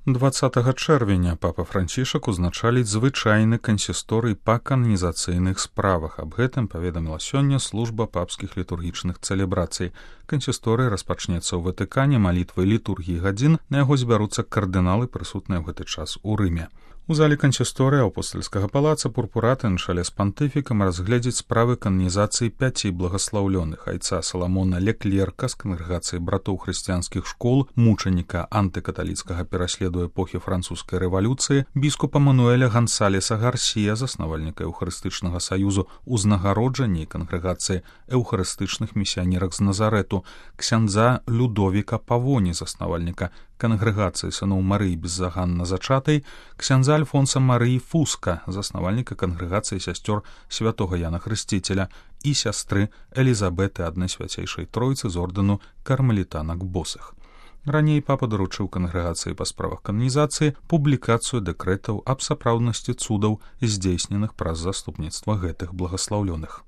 20 чэрвеня папа Францішак узначаліць звычайны кансісторый па кананізацыйных справах. Аб гэтым паведаміла сёння служба папскіх літургічных цэлебрацый. Кансісторый распачнецца ў Ватыкане малітвай літургіі гадзін, на яго збяруцца кардыналы, прысутныя ў гэты час у Рыме. У залі кансісторыя апостальскага палаца пурпураты на чале з пантыфікам разгледзяць справы кананізацыі 5 благаслаўлёных: айца Саламона Леклерка з кангрэгацыі братоў хрысціянскіх школ, мучаніка антыкаталіцкага пераследу эпохі французскай рэвалюцыі, біскупа Мануэля Гансалеса Гарсія, заснавальніка Еўхарыстычнага саюзу узнагароджання і кангрэгацыі эўхарыстычных місіянерак з Назарэту, ксяндза Людовіка Павоні, заснавальніка кангрэгацыі сыноў Марыі беззаганна зачатай, ксяндза Альфонса Марыі Фуска, заснавальніка кангрэгацыі сясцёр святога Яна Хрысціцеля, і сястры Элізабеты, аднай свяцейшай тройцы з ордэну кармелітанак босых. Раней папа даручыў кангрэгацыі па справах кананізацыі публікацыю дэкрэтаў аб сапраўднасці цудаў, здзейсненых праз заступніцтва гэтых благаслаўлёных.